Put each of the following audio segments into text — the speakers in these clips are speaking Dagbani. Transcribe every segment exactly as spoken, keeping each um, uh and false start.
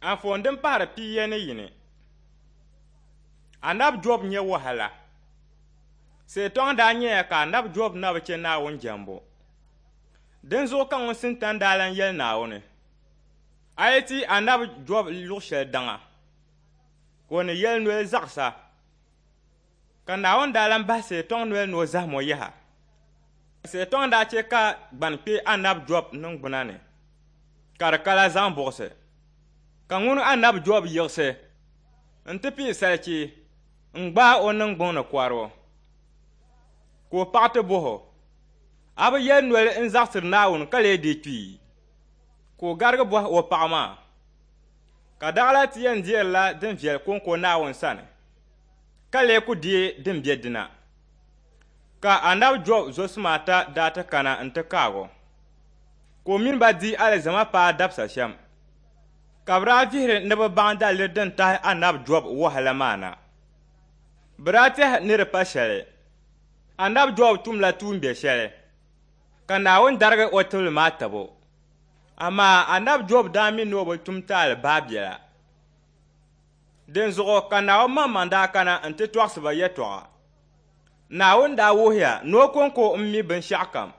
Anfooni din pahiri pia ni yini. Anabi Job nyɛ wahala. Seetɔŋ daa nyɛya ka Anabi Job na bi chɛ Naawuni jɛmbu. Dinzuɣu ka ŋun Sintani daa lan yɛli Naawuni, A yi ti Anabi Job luɣ shɛli daŋa, ka o ni yɛli noli zaɣisa. Ka Naawuni daa lan bahi Seetɔŋ noli ni o zahim o yaha. Seetɔŋ daa chɛ ka gbani kpe Anabi Job niŋgbuna ni, ka di kala zaŋ buɣisi. Ka ŋuni Anabi Job yiɣisi nti pii salichi n-gbaai o niŋgbuŋ ni kɔribu. Ka o paɣa ti bɔh o, A bi yɛli noli n-zaɣisiri Naawuni ka lee dii kpi? Ka o garigi bɔhi o paɣa maa, Ka daɣila ti yɛn deerila din viɛli kɔŋko Naawuni sani, ka lee ku deei din be dina? Ka Anabi Job zɔsima ata daa ti kana nti kaag o, ka o mini ba di alizama paai dabisa shɛm. Ka bɛ daa vihiri ni bɛ baŋ daliri din tahi Anabi Job wahala maa na. Bɛ daa tɛhi ni di pa shɛli, Anabi Job tumla tuumbiɛ shɛli, ka Naawuni darigi o tibili maa tab o. Amaa Anabi Job daa mi ni o bi tum taali baabiɛla. Dinzuɣu ka Naawuni maŋmaŋ daa kana nti tɔɣisi ba yɛtɔɣa. Naawuni daa wuhiya ni o kɔŋko m-mi binshɛɣukam.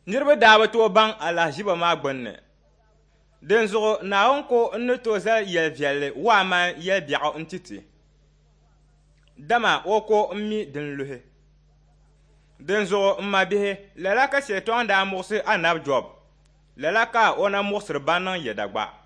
Niriba daa bi tooi baŋ alahiziba maa gbunni. Dinzuɣu Naawuni ko n-ni tooi zali yɛl viɛlli waamani yɛl biɛɣu n-ti ti, dama o ko m-mi din luhi. Dinzuɣu m mabihi, lala ka Shetɔŋ daa muɣisi Anabi Jɔb, lala ka o na muɣisiri ban niŋ yɛda gba.